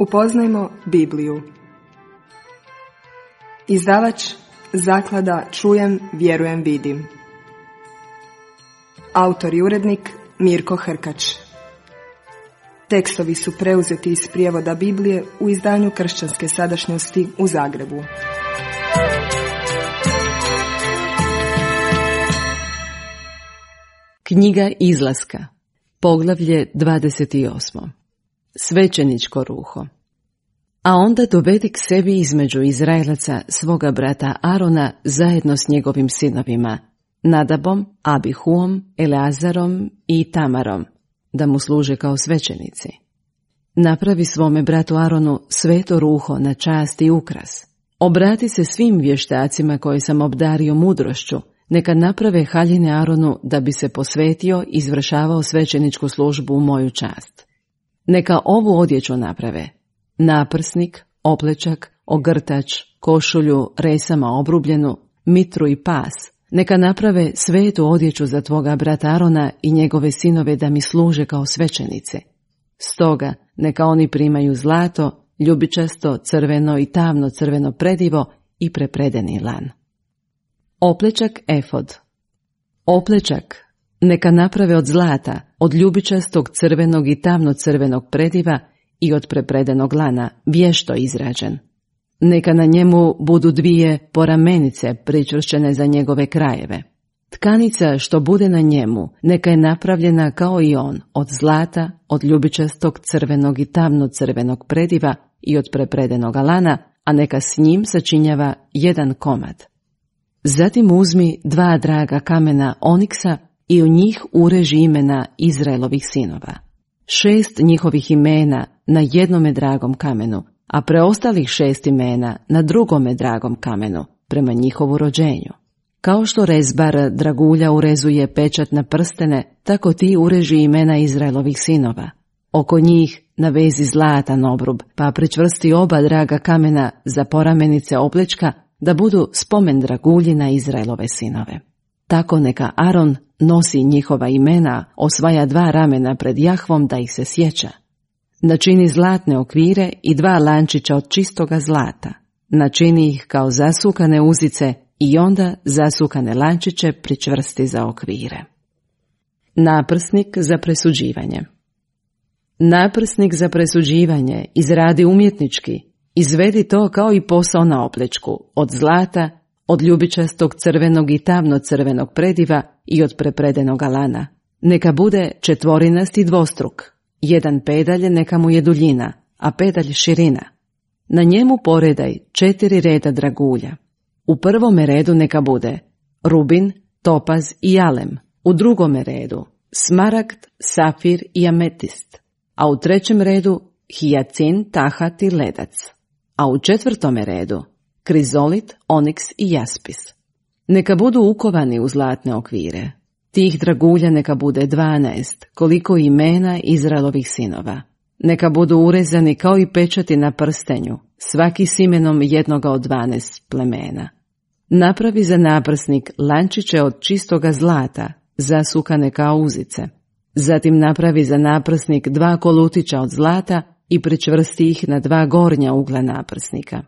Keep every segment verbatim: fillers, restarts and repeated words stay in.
Upoznajmo Bibliju. Izdavač Zaklada Čujem, vjerujem, vidim. Autor i urednik Mirko Hrkač. Tekstovi su preuzeti iz prijevoda Biblije u izdanju Kršćanske sadašnjosti u Zagrebu. Knjiga Izlaska, poglavlje dvadeset osam. Svećeničko ruho. A onda dovedi k sebi između Izraelaca svoga brata Arona zajedno s njegovim sinovima, Nadabom, Abihuom, Eleazarom i Tamarom, da mu služe kao svećenici. Napravi svome bratu Aronu sveto ruho na čast i ukras. Obrati se svim vještacima koje sam obdario mudrošću, neka naprave haljine Aronu da bi se posvetio i izvršavao svećeničku službu u moju čast. Neka ovu odjeću naprave: naprsnik, oplečak, ogrtač, košulju, resama obrubljenu, mitru i pas. Neka naprave svetu odjeću za tvoga brata Arona i njegove sinove da mi služe kao svećenice. Stoga neka oni primaju zlato, ljubičasto, crveno i tamno crveno predivo i prepredeni lan. Oplečak efod. Oplečak neka naprave od zlata, od ljubičastog crvenog i tamno crvenog prediva i od prepredenog lana, vješto izrađen. Neka na njemu budu dvije poramenice pričvršćene za njegove krajeve. Tkanica što bude na njemu, neka je napravljena kao i on, od zlata, od ljubičastog crvenog i tamno crvenog prediva i od prepredenog lana, a neka s njim sačinjava jedan komad. Zatim uzmi dva draga kamena oniksa i u njih ureži imena Izraelovih sinova. Šest njihovih imena na jednome dragom kamenu, a preostalih šest imena na drugome dragom kamenu, prema njihovu rođenju. Kao što rezbar dragulja urezuje pečat na prstene, tako ti ureži imena Izraelovih sinova. Oko njih navezi zlatan obrub, pa pričvrsti oba draga kamena za poramenice oplečka, da budu spomen dragulji na Izraelove sinove. Tako neka Aron nosi njihova imena, osvaja dva ramena pred Jahvom da ih se sjeća. Načini zlatne okvire i dva lančića od čistoga zlata. Načini ih kao zasukane uzice i onda zasukane lančiće pričvrsti za okvire. Naprsnik za presuđivanje. Naprsnik za presuđivanje izradi umjetnički. Izvedi to kao i posao na oplečku, od zlata, od ljubičastog crvenog i tamno crvenog prediva i od prepredenog lana. Neka bude četvorinasti dvostruk. Jedan pedalj neka mu je duljina, a pedalj širina. Na njemu poredaj četiri reda dragulja. U prvome redu neka bude rubin, topaz i jalem. U drugome redu smaragd, safir i ametist. A u trećem redu hijacin, tahat i ledac. A u četvrtome redu krizolit, oniks i jaspis. Neka budu ukovani u zlatne okvire. Tih dragulja neka bude dvanaest, koliko imena Izraelovih sinova. Neka budu urezani kao i pečati na prstenju, svaki s imenom jednoga od dvanaest plemena. Napravi za naprsnik lančiće od čistoga zlata, zasukane kao uzice. Zatim napravi za naprsnik dva kolutića od zlata i pričvrsti ih na dva gornja ugla naprsnika.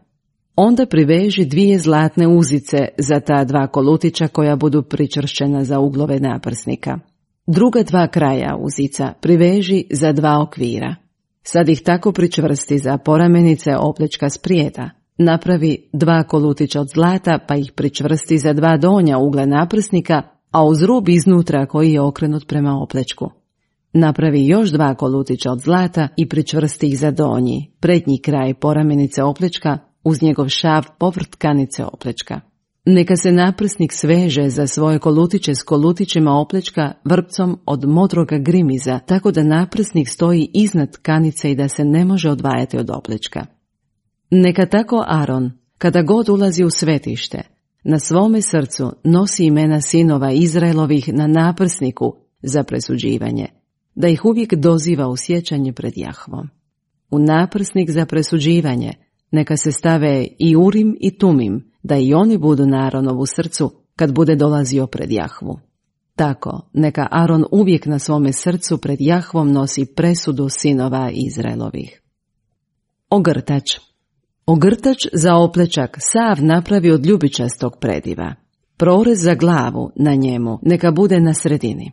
Onda priveži dvije zlatne uzice za ta dva kolutića koja budu pričvršćena za uglove naprsnika. Druga dva kraja uzica priveži za dva okvira. Sad ih tako pričvrsti za poramenice oplečka sprijeda. Napravi dva kolutića od zlata pa ih pričvrsti za dva donja ugla naprsnika, a uz rub iznutra koji je okrenut prema oplečku. Napravi još dva kolutića od zlata i pričvrsti ih za donji, prednji kraj poramenice oplečka, uz njegov šav povrh tkanice oplečka. Neka se naprsnik sveže za svoje kolutiće s kolutićima oplečka vrpcom od modroga grimiza, tako da naprsnik stoji iznad tkanice i da se ne može odvajati od oplečka. Neka tako Aron, kada god ulazi u svetište, na svome srcu nosi imena sinova Izraelovih na naprsniku za presuđivanje, da ih uvijek doziva u sjećanje pred Jahvom. U naprsnik za presuđivanje neka se stave i Urim i Tumim, da i oni budu na Aronovu srcu kad bude dolazio pred Jahvu. Tako neka Aron uvijek na svome srcu pred Jahvom nosi presudu sinova Izraelovih. Ogrtač. Ogrtač za oplečak sav napravi od ljubičastog prediva. Prorez za glavu na njemu neka bude na sredini.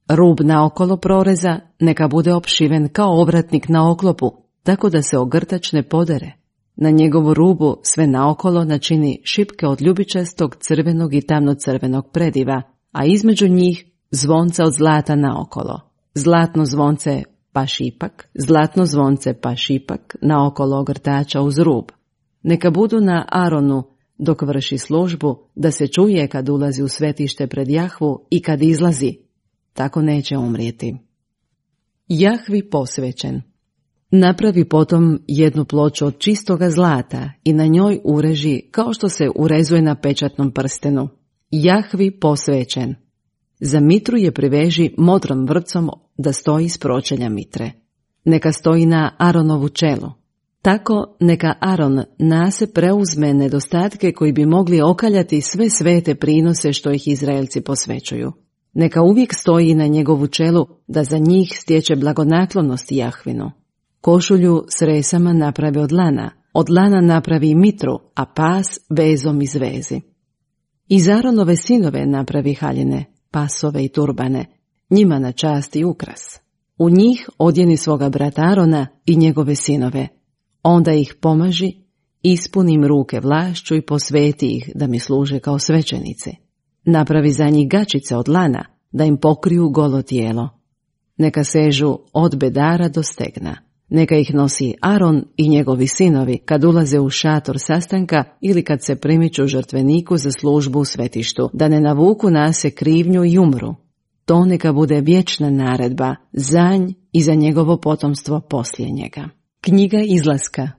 Rub naokolo proreza neka bude opšiven kao ovratnik na oklopu, tako da se ogrtač ne podere. Na njegovu rubu sve naokolo načini šipke od ljubičastog, crvenog i tamno-crvenog prediva, a između njih zvonca od zlata naokolo. Zlatno zvonce pa šipak, zlatno zvonce pa šipak naokolo ogrtača uz rub. Neka budu na Aronu dok vrši službu, da se čuje kad ulazi u svetište pred Jahvu i kad izlazi. Tako neće umrijeti. Jahvi posvećen. Napravi potom jednu ploču od čistoga zlata i na njoj ureži kao što se urezuje na pečatnom prstenu. Jahvi posvećen. Za mitru je priveži modrom vrpcom da stoji s pročelja mitre. Neka stoji na Aronovu čelu. Tako neka Aron nase preuzme nedostatke koji bi mogli okaljati sve svete prinose što ih Izraelci posvećuju. Neka uvijek stoji na njegovu čelu da za njih stječe blagonaklonost Jahvinu. Košulju s resama napravi od lana, od lana napravi mitru, a pas vezom iz vezi. Iz Aronove sinove napravi haljine, pasove i turbane, njima na čast i ukras. U njih odjeni svoga brata Arona i njegove sinove. Onda ih pomaži, ispuni im ruke vlašću i posveti ih da mi služe kao svećenici. Napravi za njih gačice od lana, da im pokriju golo tijelo. Neka sežu od bedara do stegna. Neka ih nosi Aron i njegovi sinovi kad ulaze u šator sastanka ili kad se primiču žrtveniku za službu u svetištu, da ne navuku nase krivnju i umru. To neka bude vječna naredba za nj i za njegovo potomstvo poslije njega. Knjiga Izlaska,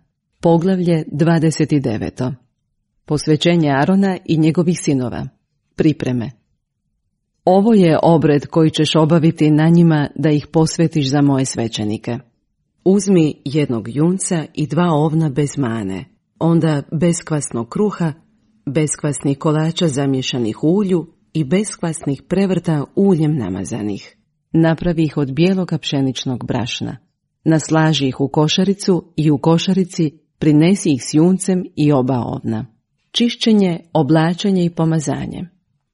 poglavlje dvadeset devet. Posvećenje Arona i njegovih sinova. Pripreme. Ovo je obred koji ćeš obaviti na njima da ih posvetiš za moje svećenike. Uzmi jednog junca i dva ovna bez mane, onda beskvasnog kruha, beskvasnih kolača zamješanih u ulju i beskvasnih prevrta uljem namazanih. Napravi ih od bijeloga pšeničnog brašna. Naslaži ih u košaricu i u košarici prinesi ih s juncem i oba ovna. Čišćenje, oblačenje i pomazanje.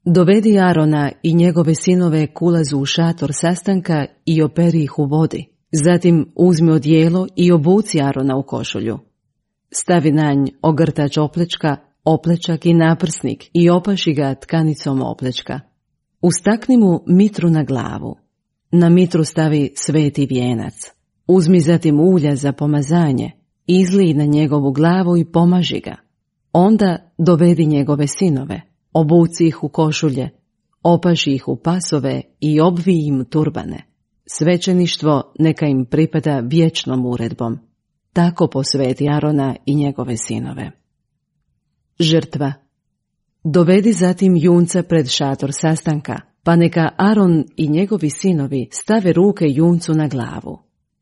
Dovedi Arona i njegove sinove k ulazu u šator sastanka i operi ih u vodi. Zatim uzmi odijelo i obuci Arona u košulju. Stavi na nj ogrtač oplečka, oplečak i naprsnik i opaši ga tkanicom oplečka. Ustakni mu mitru na glavu. Na mitru stavi sveti vijenac. Uzmi zatim ulja za pomazanje, izlij na njegovu glavu i pomaži ga. Onda dovedi njegove sinove, obuci ih u košulje, opaši ih u pasove i obvij im turbane. Svećeništvo neka im pripada vječnom uredbom. Tako posveti Arona i njegove sinove. Žrtva. Dovedi zatim junca pred šator sastanka, pa neka Aron i njegovi sinovi stave ruke juncu na glavu.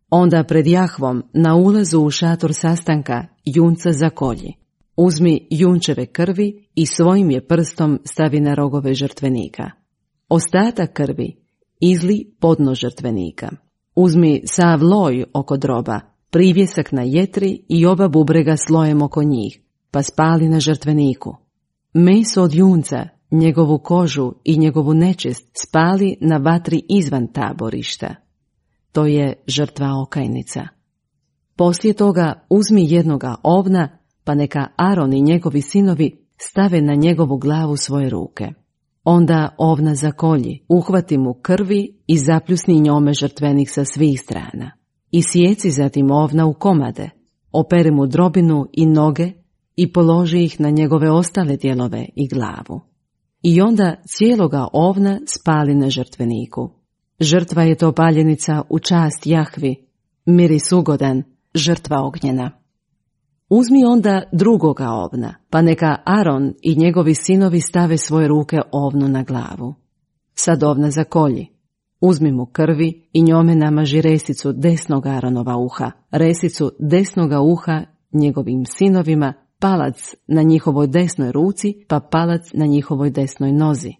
Onda pred Jahvom na ulazu u šator sastanka junca zakolji. Uzmi junčeve krvi i svojim je prstom stavi na rogove žrtvenika. Ostatak krvi izli podno žrtvenika. Uzmi sav loj oko droba, privjesak na jetri i oba bubrega slojem oko njih, pa spali na žrtveniku. Meso od junca, njegovu kožu i njegovu nečist spali na vatri izvan taborišta. To je žrtva okajnica. Poslije toga uzmi jednoga ovna, pa neka Aron i njegovi sinovi stave na njegovu glavu svoje ruke. Onda ovna zakolji, uhvati mu krvi i zapljusni njome žrtvenik sa svih strana. I sjeci zatim ovna u komade, operi mu drobinu i noge i položi ih na njegove ostale dijelove i glavu. I onda cijeloga ovna spali na žrtveniku. Žrtva je to paljenica u čast Jahvi, miris ugodan, žrtva ognjena. Uzmi onda drugoga ovna, pa neka Aron i njegovi sinovi stave svoje ruke ovnu na glavu. Sad ovna zakolji. Uzmi mu krvi i njome namaži resicu desnog Aronova uha, resicu desnoga uha njegovim sinovima, palac na njihovoj desnoj ruci, pa palac na njihovoj desnoj nozi.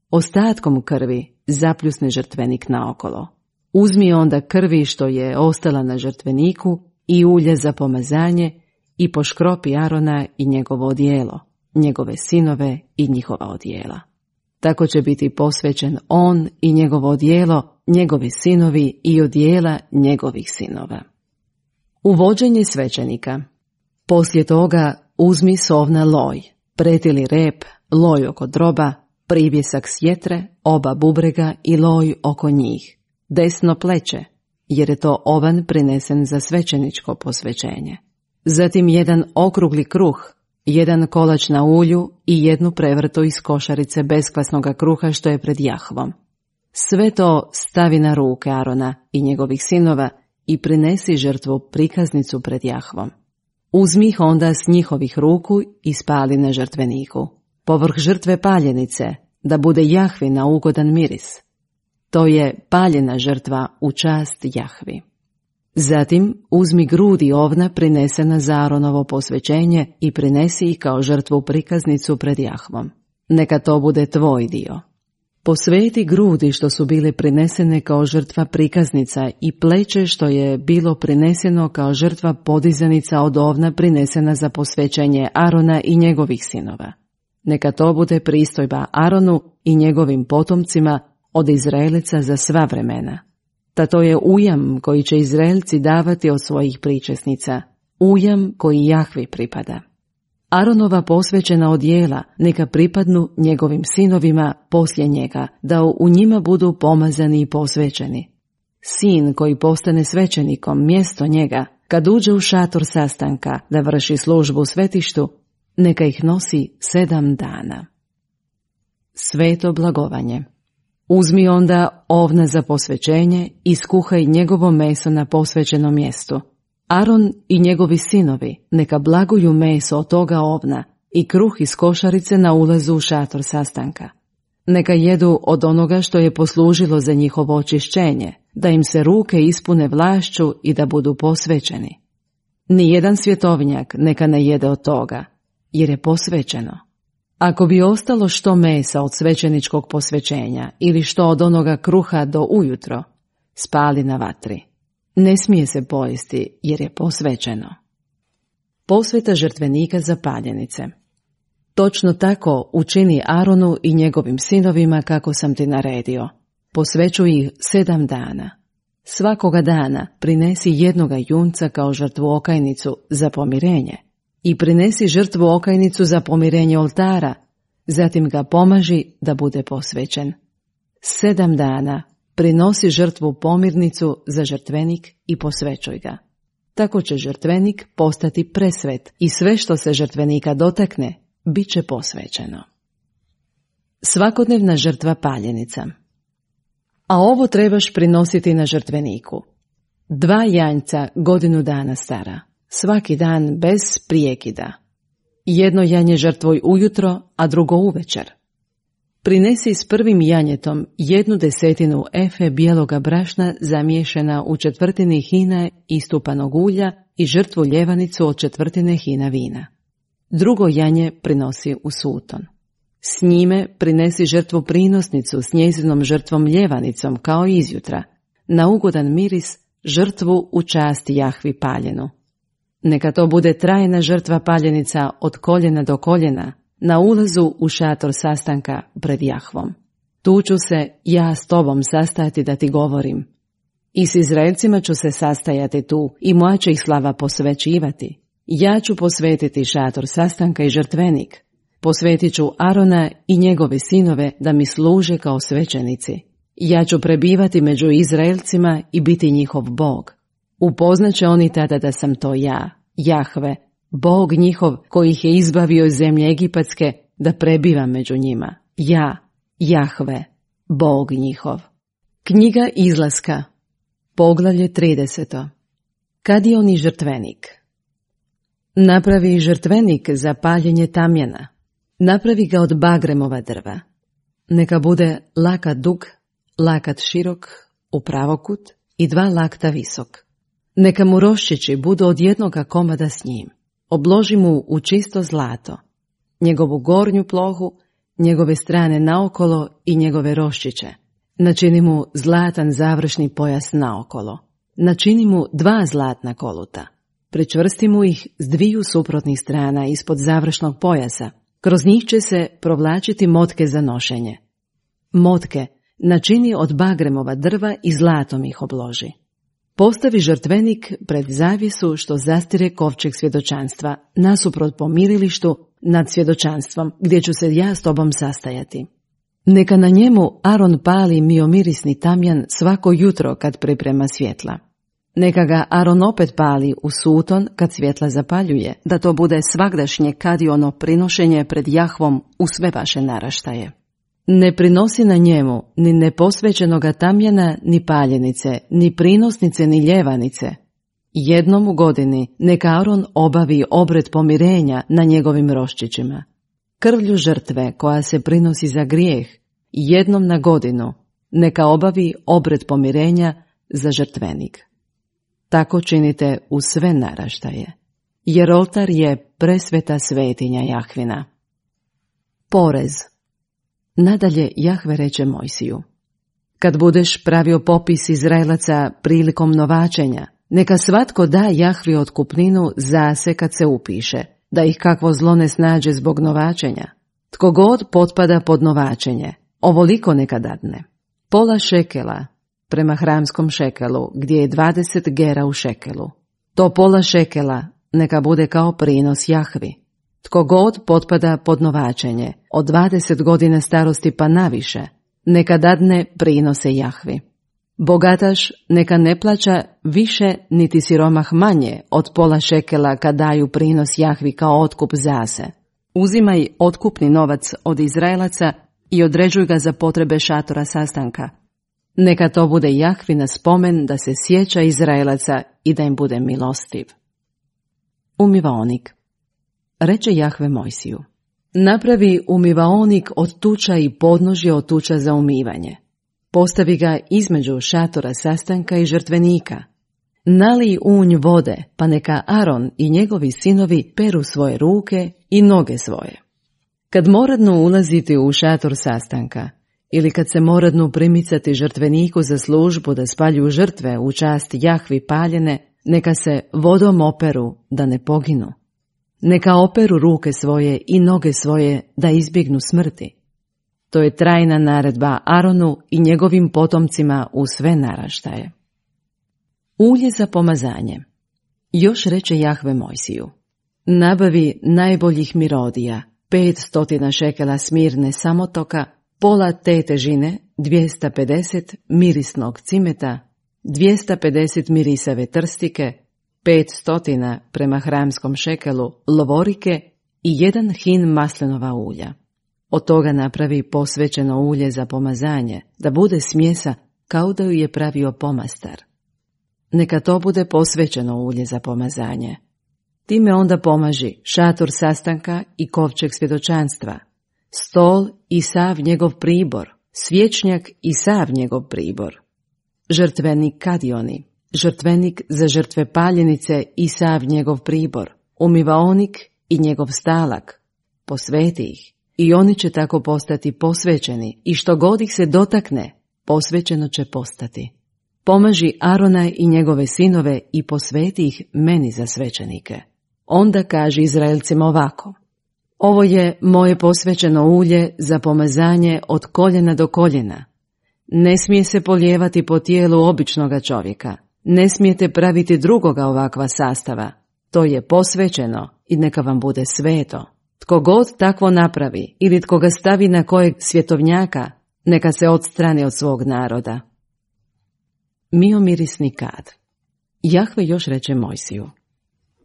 Ostatkom krvi zapljusni žrtvenik naokolo. Uzmi onda krvi što je ostala na žrtveniku i ulje za pomazanje i poškropi Arona i njegovo odijelo, njegove sinove i njihova odijela. Tako će biti posvećen on i njegovo odijelo, njegovi sinovi i odijela njegovih sinova. Uvođenje svećenika. Poslije toga uzmi sovna loj, pretili rep, loj oko droba, privjesak sjetre, oba bubrega i loj oko njih, desno pleće, jer je to ovan prinesen za svećeničko posvećenje. Zatim jedan okrugli kruh, jedan kolač na ulju i jednu prevrtu iz košarice beskvasnoga kruha što je pred Jahvom. Sve to stavi na ruke Arona i njegovih sinova i prinesi žrtvu prikaznicu pred Jahvom. Uzmi ih onda s njihovih ruku i spali na žrtveniku, povrh žrtve paljenice, da bude Jahvi na ugodan miris. To je paljena žrtva u čast Jahvi. Zatim uzmi grudi ovna prinesena za Aronovo posvećenje i prinesi ih kao žrtvu prikaznicu pred Jahvom. Neka to bude tvoj dio. Posveti grudi što su bile prinesene kao žrtva prikaznica i pleće što je bilo prineseno kao žrtva podizanica od ovna prinesena za posvećenje Arona i njegovih sinova. Neka to bude pristojba Aronu i njegovim potomcima od Izraelica za sva vremena. Ta to je ujam koji će Izraelci davati od svojih pričesnica, ujam koji Jahvi pripada. Aronova posvećena odijela neka pripadnu njegovim sinovima poslije njega, da u njima budu pomazani i posvećeni. Sin koji postane svećenikom mjesto njega, kad uđe u šator sastanka da vrši službu u svetištu, neka ih nosi sedam dana. Sveto blagovanje. Uzmi onda ovna za posvećenje i skuhaj njegovo meso na posvećenom mjestu. Aron i njegovi sinovi neka blaguju meso od toga ovna i kruh iz košarice na ulazu u šator sastanka. Neka jedu od onoga što je poslužilo za njihovo očišćenje, da im se ruke ispune vlašću i da budu posvećeni. Nijedan svjetovnjak neka ne jede od toga, jer je posvećeno. Ako bi ostalo što mesa od svećeničkog posvećenja ili što od onoga kruha do ujutro, spali na vatri. Ne smije se pojesti jer je posvećeno. Posveta žrtvenika za paljenice. Točno tako učini Aronu i njegovim sinovima kako sam ti naredio. Posvećuj ih sedam dana. Svakoga dana prinesi jednoga junca kao žrtvu okajnicu za pomirenje i prinesi žrtvu okajnicu za pomirenje oltara, zatim ga pomaži da bude posvećen. Sedam dana prinosi žrtvu pomirnicu za žrtvenik i posvećuj ga. Tako će žrtvenik postati presvet i sve što se žrtvenika dotakne, bit će posvećeno. Svakodnevna žrtva paljenica. A ovo trebaš prinositi na žrtveniku. Dva janjca godinu dana stara, svaki dan bez prijekida. Jedno janje žrtvuj ujutro, a drugo uvečer. Prinesi s prvim janjetom jednu desetinu efe bijeloga brašna zamiješana u četvrtini hina istupanog ulja i žrtvu ljevanicu od četvrtine hina vina. Drugo janje prinosi u suton. S njime prinesi žrtvu prinosnicu s njezinom žrtvom ljevanicom kao izjutra, na ugodan miris žrtvu u čast Jahvi paljenu. Neka to bude trajna žrtva paljenica od koljena do koljena, na ulazu u šator sastanka pred Jahvom. Tu ću se ja s tobom sastajati da ti govorim. I s Izraelcima ću se sastajati tu i moja će ih slava posvećivati. Ja ću posvetiti šator sastanka i žrtvenik. Posvetit ću Arona i njegove sinove da mi služe kao svećenici. Ja ću prebivati među Izraelcima i biti njihov Bog. Upoznaće oni tada da sam to ja, Jahve, Bog njihov koji ih je izbavio iz zemlje Egipatske da prebiva među njima. Ja, Jahve, Bog njihov. Knjiga Izlaska, poglavlje trideset. Kad je oni žrtvenik? Napravi žrtvenik za paljenje tamjana. Napravi ga od bagremova drva. Neka bude lakat dug, lakat širok, u pravokut i dva lakta visok. Neka mu roščići budu od jednoga komada s njim. Obloži mu u čisto zlato, njegovu gornju plohu, njegove strane naokolo i njegove roščiće. Načini mu zlatan završni pojas naokolo. Načini mu dva zlatna koluta. Pričvrsti mu ih s dviju suprotnih strana ispod završnog pojasa. Kroz njih će se provlačiti motke za nošenje. Motke načini od bagremova drva i zlatom ih obloži. Postavi žrtvenik pred zavjesu što zastire kovčeg svjedočanstva, nasuprot pomirilištu nad svjedočanstvom, gdje ću se ja s tobom sastajati. Neka na njemu Aron pali miomirisni tamjan svako jutro kad priprema svjetla. Neka ga Aron opet pali u suton kad svjetla zapaljuje, da to bude svagdašnje kadiono prinošenje pred Jahvom u sve vaše naraštaje. Ne prinosi na njemu ni neposvećenoga tamjana, ni paljenice, ni prinosnice, ni ljevanice. Jednom u godini neka Aron obavi obred pomirenja na njegovim roščićima. Krvlju žrtve koja se prinosi za grijeh, jednom na godinu neka obavi obred pomirenja za žrtvenik. Tako činite u sve naraštaje, jer oltar je presveta svetinja Jahvina. Porez. Nadalje Jahve reče Mojsiju: kad budeš pravio popis Izraelaca prilikom novačenja, neka svatko da Jahvi otkupninu za se kad se upiše, da ih kakvo zlo ne snađe zbog novačenja. Tko god potpada pod novačenje, ovoliko neka dadne. Pola šekela prema hramskom šekelu, gdje je dvadeset gera u šekelu. To pola šekela neka bude kao prinos Jahvi. Tko god potpada pod novačenje, od dvadeset godina starosti pa naviše, neka dadne prinose Jahvi. Bogataš neka ne plaća više niti siromah manje od pola šekela kad daju prinos Jahvi kao otkup zase. Uzimaj otkupni novac od Izraelaca i određuj ga za potrebe šatora sastanka. Neka to bude Jahvina spomen da se sjeća Izraelaca i da im bude milostiv. Umivaonik. Reče Jahve Mojsiju: napravi umivaonik od tuča i podnožje od tuča za umivanje. Postavi ga između šatora sastanka i žrtvenika. Nalij unj vode, pa neka Aron i njegovi sinovi peru svoje ruke i noge svoje. Kad moradnu ulaziti u šator sastanka, ili kad se moradnu primicati žrtveniku za službu da spaljuju žrtve u čast Jahvi paljene, neka se vodom operu da ne poginu. Neka operu ruke svoje i noge svoje da izbjegnu smrti. To je trajna naredba Aronu i njegovim potomcima u sve naraštaje. Ulje za pomazanje. Još reče Jahve Mojsiju: nabavi najboljih mirodija, pet stotina šekela smirne samotoka, pola te težine, dvjesto pedeset mirisnog cimeta, dvjesto pedeset mirisave trstike, pet stotina prema hramskom šekelu lovorike i jedan hin maslinova ulja. Od toga napravi posvećeno ulje za pomazanje, da bude smjesa kao da ju je pravio pomastar. Neka to bude posvećeno ulje za pomazanje. Time onda pomaži šator sastanka i kovčeg svjedočanstva, stol i sav njegov pribor, svječnjak i sav njegov pribor, žrtvenik kadioni, žrtvenik za žrtve paljenice i sav njegov pribor, umivaonik i njegov stalak, posveti ih, i oni će tako postati posvećeni, i što god ih se dotakne, posvećeno će postati. Pomaži Arona i njegove sinove i posveti ih meni za svećenike. Onda kaži Izraelcima ovako: ovo je moje posvećeno ulje za pomazanje od koljena do koljena. Ne smije se polijevati po tijelu običnoga čovjeka. Ne smijete praviti drugoga ovakva sastava. To je posvećeno i neka vam bude sveto. Tko god takvo napravi ili tko ga stavi na kojeg svjetovnjaka, neka se odstrani od svog naroda. Miomirisni kad. Jahve još reče Mojsiju: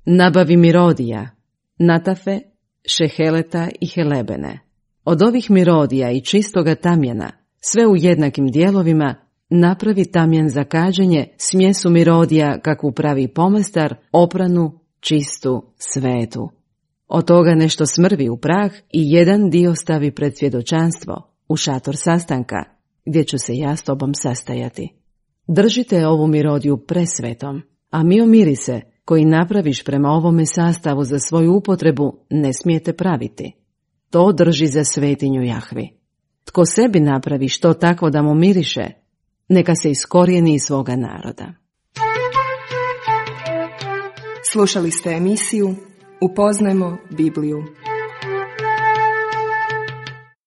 nabavi mirodija, natafe, šeheleta i helebene. Od ovih mirodija i čistoga tamjana, sve u jednakim dijelovima, napravi tamjan za kađenje, smjesu mirodija kakvu pravi pomastar, opranu, čistu, svetu. Od toga nešto smrvi u prah i jedan dio stavi pred svjedočanstvo, u šator sastanka, gdje ću se ja s tobom sastajati. Držite ovu mirodiju presvetom, a miomirise, koji napraviš prema ovome sastavu za svoju upotrebu, ne smijete praviti. To drži za svetinju Jahvi. Tko sebi napravi što takvo da mu miriše, neka se iskorijeni iz svoga naroda. Slušali ste emisiju Upoznajmo Bibliju.